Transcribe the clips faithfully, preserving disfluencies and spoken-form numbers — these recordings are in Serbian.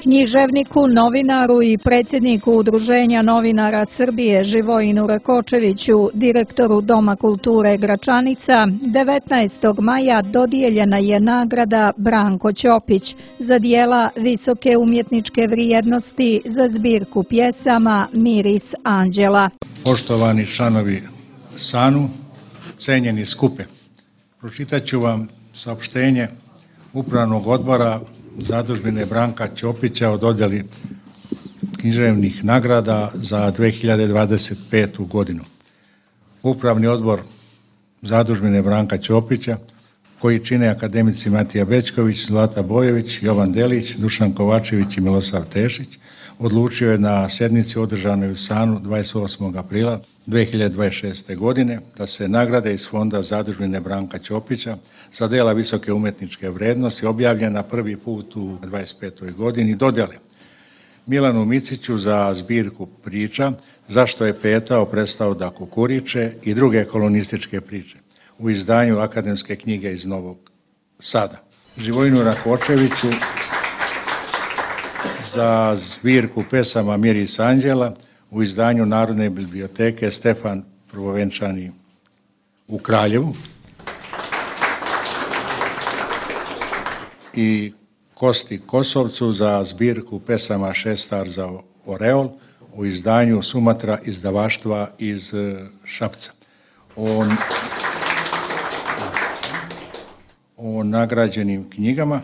Književniku, novinaru i predsjedniku Udruženja novinara Srbije Živojinu Rakočeviću, direktoru Doma kulture Gračanica, devetnaestog maja dodijeljena je nagrada Branko Ćopić za dijela visoke umjetničke vrijednosti za zbirku pjesama Miris anđela. Poštovani članovi SANU, cenjeni skupe, pročitat ću vam saopštenje Upravnog odbora Zadužbine Branka Ćopića o dodjeli književnih nagrada za dve hiljade dvadeset petu. godinu. Upravni odbor Zadužbine Branka Ćopića, koji čine akademici Matija Bećković, Zlata Bojović, Jovan Delić, Dušan Kovačević i Milosav Tešić, odlučio je na sjednici održanoj u SANU dvadeset osmog aprila dve hiljade dvadeset šeste. godine da se nagrade iz fonda Zadužbine Branka Ćopića za djela visoke umjetničke vrijednosti objavljena prvi put u dvadeset petoj. godini dodjele Milanu Miciću za zbirku priča Zašto je petao prestao da kukuriče i druge kolonističke priče u izdanju Akademske knjige iz Novog Sada. Živojinu Rakočeviću za zbirku pesama Miris anđela u izdanju Narodne biblioteke Stefan Prvovenčani u Kraljevu i Kosti Kosovcu za zbirku pesama Šestar za Oreol u izdanju Sumatra izdavaštva iz Šapca. O, o nagrađenim knjigama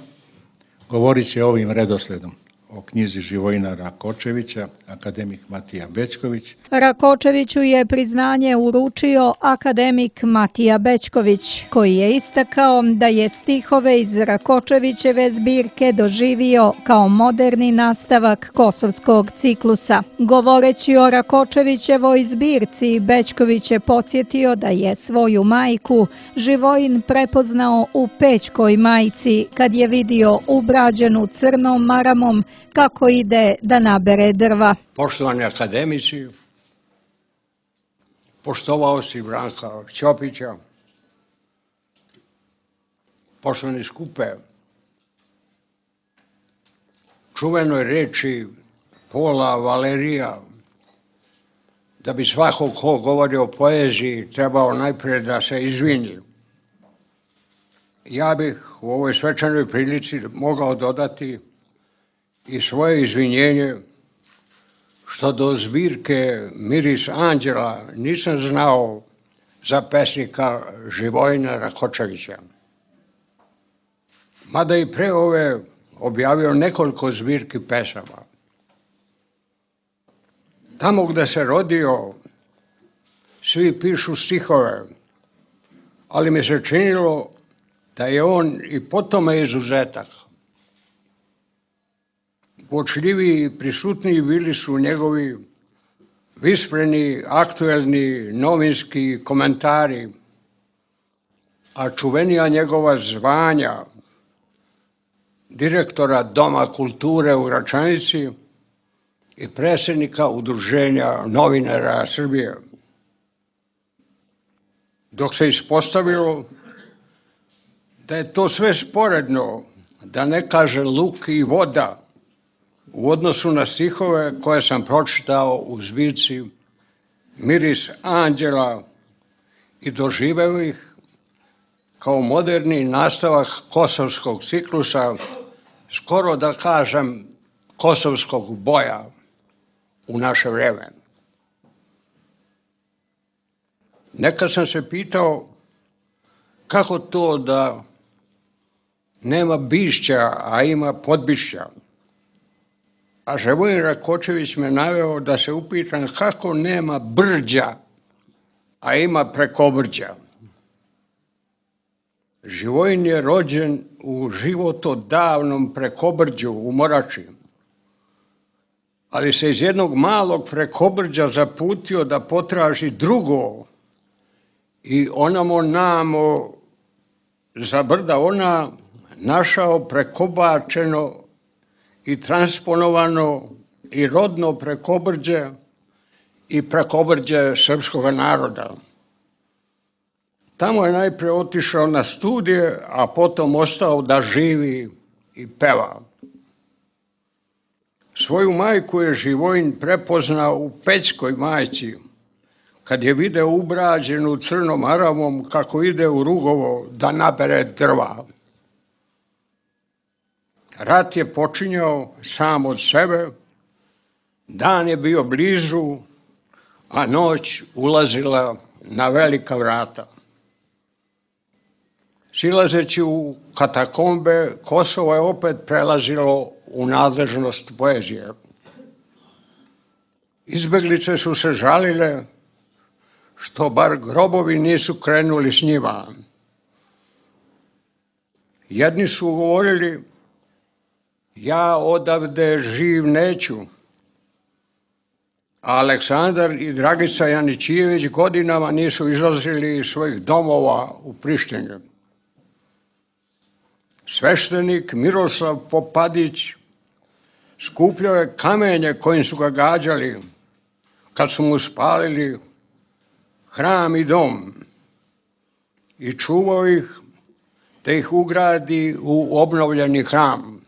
govorit će ovim redosledom: o knjizi Živojina Rakočevića, akademik Matija Bećković. Rakočeviću je priznanje uručio akademik Matija Bećković, koji je istakao da je stihove iz Rakočevićeve zbirke doživio kao moderni nastavak kosovskog ciklusa. Govoreći o Rakočevićevoj zbirci, Bećković je podsjetio da je svoju majku Živojin prepoznao u Pećkoj majci kad je vidio ubrađenu crnom maramom kako ide da nabere drva. Poštovani akademici, poštovaoci Branka Ćopića, poštovani skupe, čuvenoj reči Pola Valerija da bi svako ko govori o poeziji trebao najprije da se izvini. Ja bih u ovoj svečanoj prilici mogao dodati i svoje izvinjenje što do zbirke Miris anđela nisam znao za pesnika Živojina Rakočevića. Mada i pre ove objavio nekoliko zbirki pesama. Tamo gde se rodio svi pišu stihove, ali mi se činilo da je on i po tome izuzetak. Uočljiviji i prisutniji bili su njegovi vispreni, aktuelni novinski komentari, a čuvenija njegova zvanja direktora Doma kulture u Gračanici i predsjednika Udruženja novinara Srbije. Dok se ispostavilo da je to sve sporedno, da ne kaže luk i voda, u odnosu na stihove koje sam pročitao u zbirci Miris anđela i doživeo ih kao moderni nastavak kosovskog ciklusa, skoro da kažem kosovskog boja u naše vreme. Nekad sam se pitao kako to da nema bišća, a ima podbišća. A Živojin Rakočević me naveo da se upitam kako nema brđa, a ima prekobrđa. Živojin je rođen u životodavnom prekobrđu u Morači, ali se iz jednog malog prekobrđa zaputio da potraži drugo i onamo namo za brda ona našao prekobačeno i transponovano i rodno prekobrđe i prekobrđe srpskog naroda. Tamo je najprije otišao na studije, a potom ostao da živi i peva. Svoju majku je Živojin prepoznao u Pećkoj majci, kad je video ubrađenu crnom aravom kako ide u Rugovo da nabere drva. Rat je počinjao sam od sebe, dan je bio blizu, a noć ulazila na velika vrata. Silazeći u katakombe, Kosovo je opet prelazilo u nadležnost poezije. Izbeglice su se žalile što bar grobovi nisu krenuli s njima. Jedni su govorili, ja odavde živ neću, a Aleksandar i Dragica Janićijević godinama nisu izlazili iz svojih domova u Prištini. Sveštenik Miroslav Popadić skupljao je kamenje kojim su ga gađali kad su mu spalili hram i dom i čuvao ih da ih ugradi u obnovljeni hram.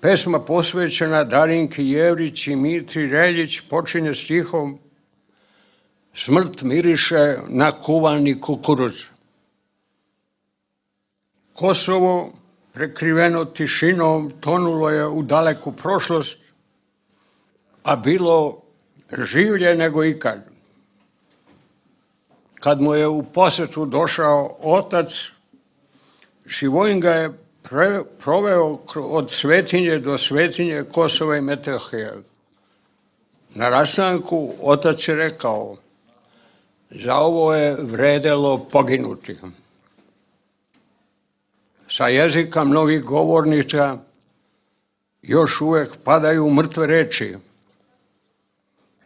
Pesma posvećena Darinki Jevrić i Mitri Reljić počinje stihom smrt miriše na kuvani kukuruz. Kosovo, prekriveno tišinom, tonulo je u daleku prošlost, a bilo življe nego ikad. Kad mu je u posetu došao otac, Živojin ga je pre, proveo od svetinje do svetinje Kosova i Metohije. Na rastanku otac je rekao, za ovo je vredelo poginuti. Sa jezika mnogih govornika još uvek padaju mrtve reči.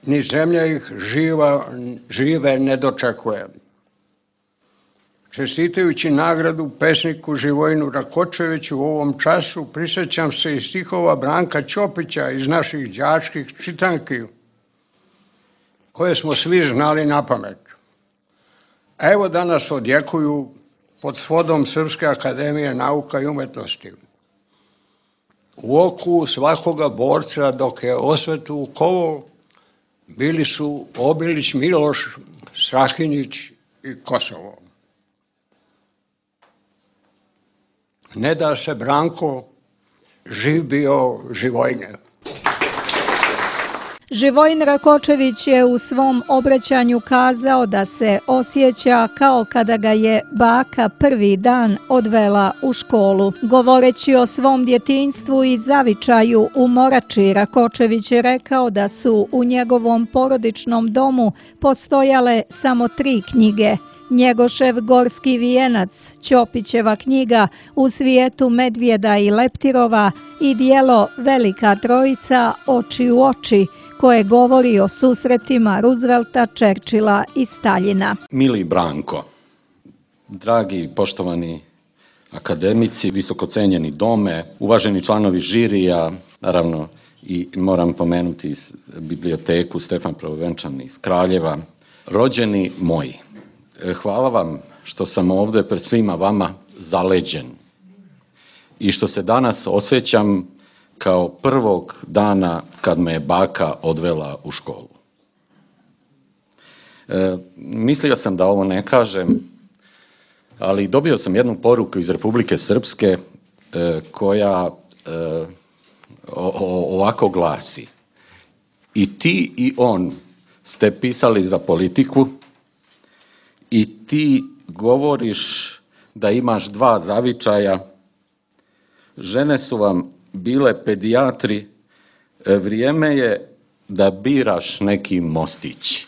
Ni zemlja ih živa, žive ne dočekuje. Čestitajući nagradu pesniku Živojinu Rakočeviću u ovom času, prisjećam se i stihova Branka Ćopića iz naših đačkih čitanki, koje smo svi znali na pamet. Evo danas odjekuju pod svodom Srpske akademije nauka i umetnosti. U oku svakoga borca dok je osvetu kovao, bili su Obilić Miloš, Strahinjić i Kosovo. Ne da se Branko, živ bio Živojine. Živojin Rakočević je u svom obraćanju kazao da se osjeća kao kada ga je baka prvi dan odvela u školu. Govoreći o svom djetinjstvu i zavičaju u Morači, Rakočević je rekao da su u njegovom porodičnom domu postojale samo tri knjige. Njegošev Gorski vijenac, Ćopićeva knjiga U svijetu medvjeda i leptirova i dijelo Velika trojica Oči u oči, koje govori o susretima Roosevelta, Churchilla i Staljina. Mili Branko, dragi poštovani akademici, visoko cenjeni dome, uvaženi članovi žirija, naravno i moram pomenuti iz biblioteku Stefan Prvovenčan iz Kraljeva, rođeni moji. Hvala vam što sam ovdje pred svima vama zaleđen i što se danas osjećam kao prvog dana kad me je baka odvela u školu. E, mislio sam da ovo ne kažem, ali dobio sam jednu poruku iz Republike Srpske e, koja e, o, o, ovako glasi. I ti i on ste pisali za politiku i ti govoriš da imaš dva zavičaja, žene su vam bile pedijatri, vrijeme je da biraš neki mostić.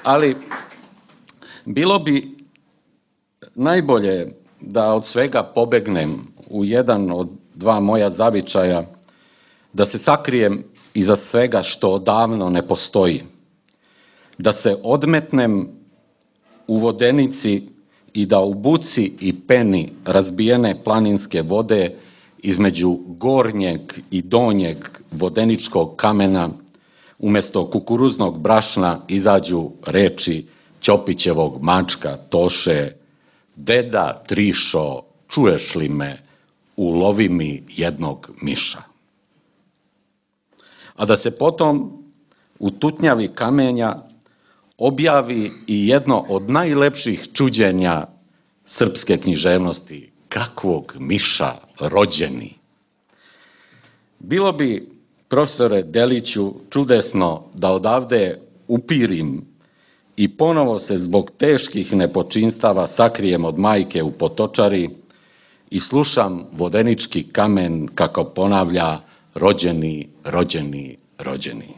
Ali bilo bi najbolje da od svega pobegnem u jedan od dva moja zavičaja, da se sakrijem iza svega što odavno ne postoji, da se odmetnem u vodenici i da u buci i peni razbijene planinske vode između gornjeg i donjeg vodeničkog kamena umjesto kukuruznog brašna izađu reči Ćopićevog mačka Toše: deda Trišo, čuješ li me, ulovi mi jednog miša. A da se potom u tutnjavi kamenja objavi i jedno od najlepših čuđenja srpske književnosti, kakvog miša rođeni. Bilo bi, profesore Deliću, čudesno da odavde upirim i ponovo se zbog teških nepočinstava sakrijem od majke u Potočari i slušam vodenički kamen kako ponavlja rođeni, rođeni, rođeni.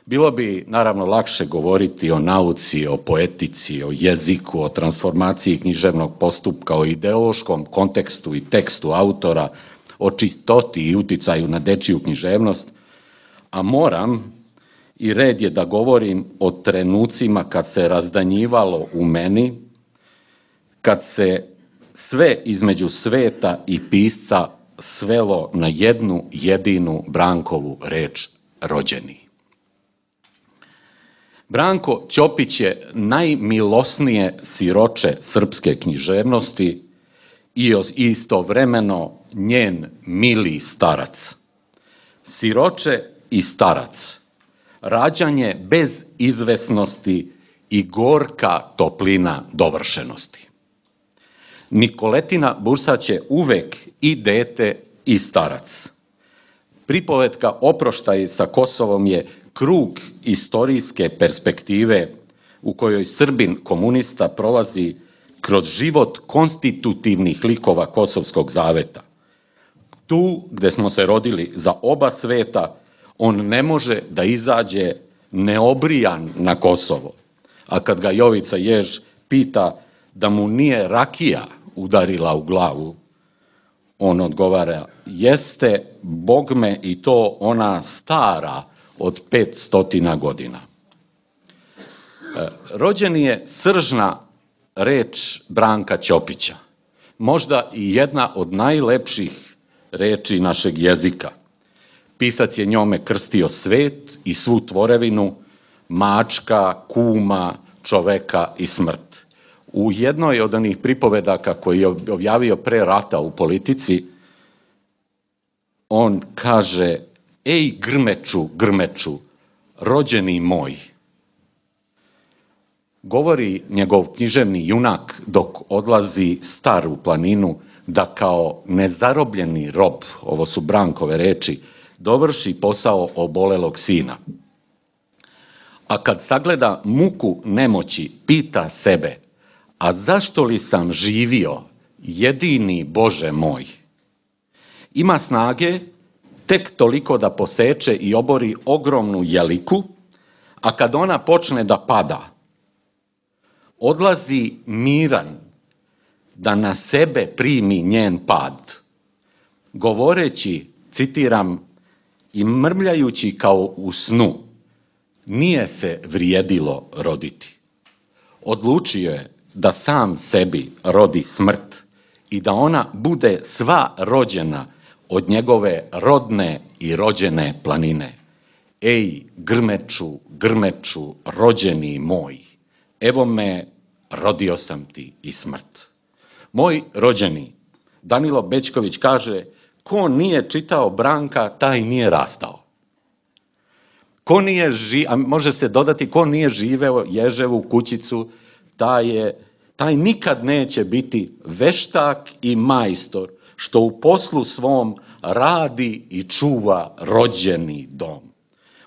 Bilo bi naravno lakše govoriti o nauci, o poetici, o jeziku, o transformaciji književnog postupka, o ideološkom kontekstu i tekstu autora, o čistoti i uticaju na dečiju književnost, a moram i red je da govorim o trenucima kad se razdanjivalo u meni, kad se sve između sveta i pisca svelo na jednu jedinu Brankovu reč rođeni. Branko Ćopić je najmilosnije siroče srpske književnosti i istovremeno njen mili starac. Siroče i starac, rađanje bez izvesnosti i gorka toplina dovršenosti. Nikoletina Bursać je uvek i dete i starac. Pripovetka Oproštaj sa Kosovom je krug istorijske perspektive u kojoj Srbin komunista prolazi kroz život konstitutivnih likova Kosovskog zaveta. Tu gde smo se rodili za oba sveta, on ne može da izađe neobrijan na Kosovo. A kad ga Jovica Jež pita da mu nije rakija udarila u glavu, on odgovara, jeste bogme i to ona stara od pet stotina godina. Rođeni je sržna reč Branka Ćopića, možda i jedna od najlepših reči našeg jezika. Pisac je njome krstio svet i svu tvorevinu, mačka, kuma, čoveka i smrt. U jednoj od onih pripovedaka koji je objavio pre rata u Politici, on kaže, ej grmeču, grmeču, rođeni moj. Govori njegov književni junak dok odlazi star u planinu da kao nezarobljeni rob, ovo su Brankove reči, dovrši posao obolelog sina. A kad sagleda muku nemoći, pita sebe, a zašto li sam živio, jedini Bože moj? Ima snage tek toliko da poseče i obori ogromnu jeliku, a kad ona počne da pada, odlazi miran da na sebe primi njen pad, govoreći, citiram, i mrmljajući kao u snu, nije se vrijedilo roditi. Odlučio je da sam sebi rodi smrt i da ona bude sva rođena od njegove rodne i rođene planine. Ej, grmeču, grmeču, rođeni moj, evo me, rodio sam ti i smrt. Moj rođeni, Danilo Bećković kaže, ko nije čitao Branka, taj nije rastao. Ko nije ži, a može se dodati, ko nije živeo Ježevu kućicu, taj, je, taj nikad neće biti veštak i majstor, što u poslu svom radi i čuva rođeni dom.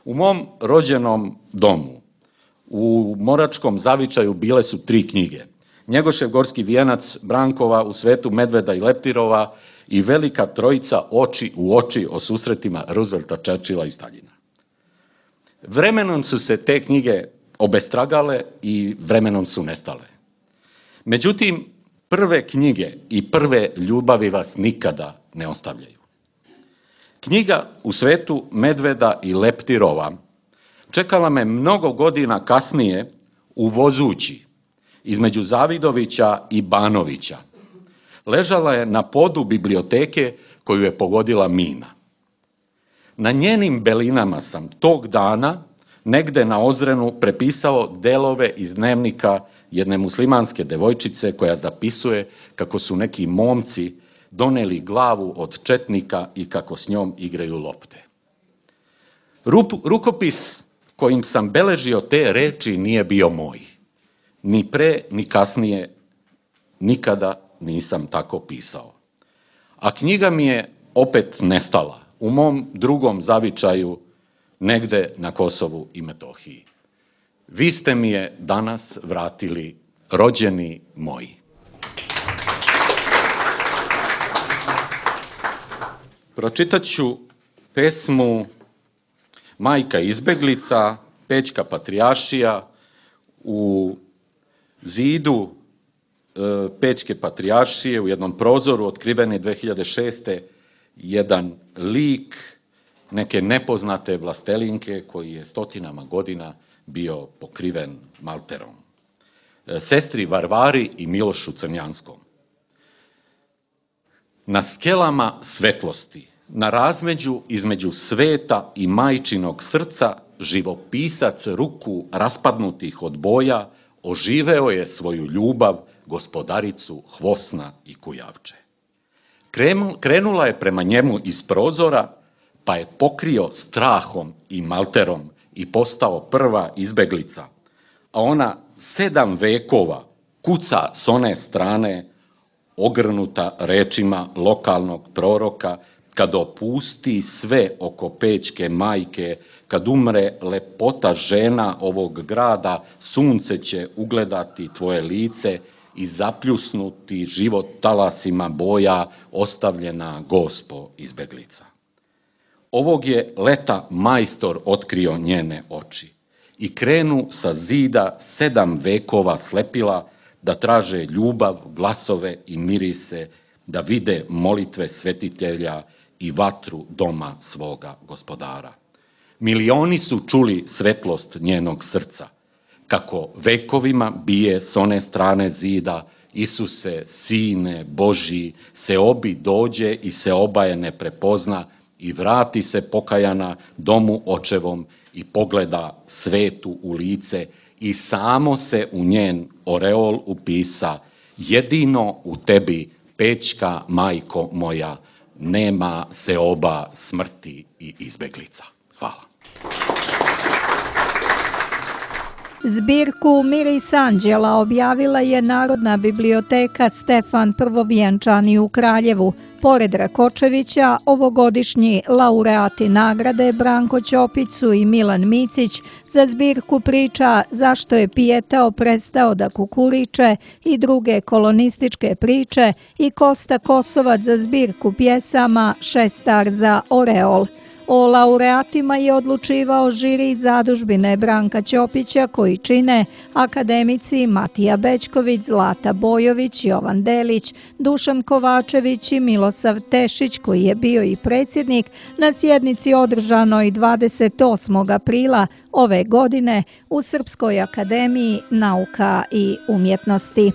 U mom rođenom domu, u Moračkom zavičaju, bile su tri knjige. Njegošev Gorski vijenac, Brankova U svetu Medveda i Leptirova i Velika trojica Oči u oči o susretima Roosevelta, Churchilla i Staljina. Vremenom su se te knjige obestragale i vremenom su nestale. Međutim, prve knjige i prve ljubavi vas nikada ne ostavljaju. Knjiga U svetu Medveda i Leptirova čekala me mnogo godina kasnije u Vozući, između Zavidovića i Banovića. Ležala je na podu biblioteke koju je pogodila mina. Na njenim belinama sam tog dana negde na Ozrenu prepisao delove iz dnevnika jedne muslimanske devojčice koja zapisuje kako su neki momci doneli glavu od četnika i kako s njom igraju lopte. Rup, rukopis kojim sam beležio te reči nije bio moj. Ni pre, ni kasnije, nikada nisam tako pisao. A knjiga mi je opet nestala u mom drugom zavičaju negde na Kosovu i Metohiji. Vi ste mi je danas vratili, rođeni moji. Pročitat ću pesmu Majka izbeglica, Pećka patrijaršija. U zidu e, Pećke patrijaršije u jednom prozoru otkriven je dve hiljade šeste. jedan lik neke nepoznate vlastelinke koji je stotinama godina bio pokriven malterom. E, sestri Varvari i Milošu Crnjanskom. Na skelama svetlosti, na razmeđu između sveta i majčinog srca, živopisac ruku raspadnutih od boja oživeo je svoju ljubav, gospodaricu Hvosna i Kujavče. Krenula je prema njemu iz prozora, pa je pokrio strahom i malterom i postao prva izbeglica, a ona sedam vekova kuca s one strane, ogrnuta rečima lokalnog proroka, kad opusti sve oko Pećke majke, kad umre lepota žena ovog grada, sunce će ugledati tvoje lice i zapljusnuti život talasima boja, ostavljena gospo izbeglica. Ovog je leta majstor otkrio njene oči i krenu sa zida sedam vekova slepila da traže ljubav, glasove i mirise, da vide molitve svetitelja i vatru doma svoga gospodara. Milioni su čuli svetlost njenog srca, kako vekovima bije s one strane zida, Isuse, Sine Božji, se obi dođe i se obaje ne prepozna i vrati se pokajana domu očevom i pogleda svetu u lice i samo se u njen oreol upisa, jedino u tebi, Pećka majko moja, nema se oba smrti i izbeglica. Hvala. Zbirku Miris anđela objavila je Narodna biblioteka Stefan Prvovjenčani u Kraljevu. Pored Rakočevića, ovogodišnji laureati nagrade Branko Ćopić i Milan Micić za zbirku priča Zašto je Pijetao prestao da kukuriče i druge kolonističke priče i Kosta Kosovac za zbirku pjesama Šestar za Oreol. O laureatima je odlučivao žiri zadužbine Branka Ćopića koji čine akademici Matija Bećković, Zlata Bojović, Jovan Delić, Dušan Kovačević i Milosav Tešić koji je bio i predsjednik na sjednici održanoj dvadeset osmog aprila ove godine u Srpskoj akademiji nauka i umjetnosti.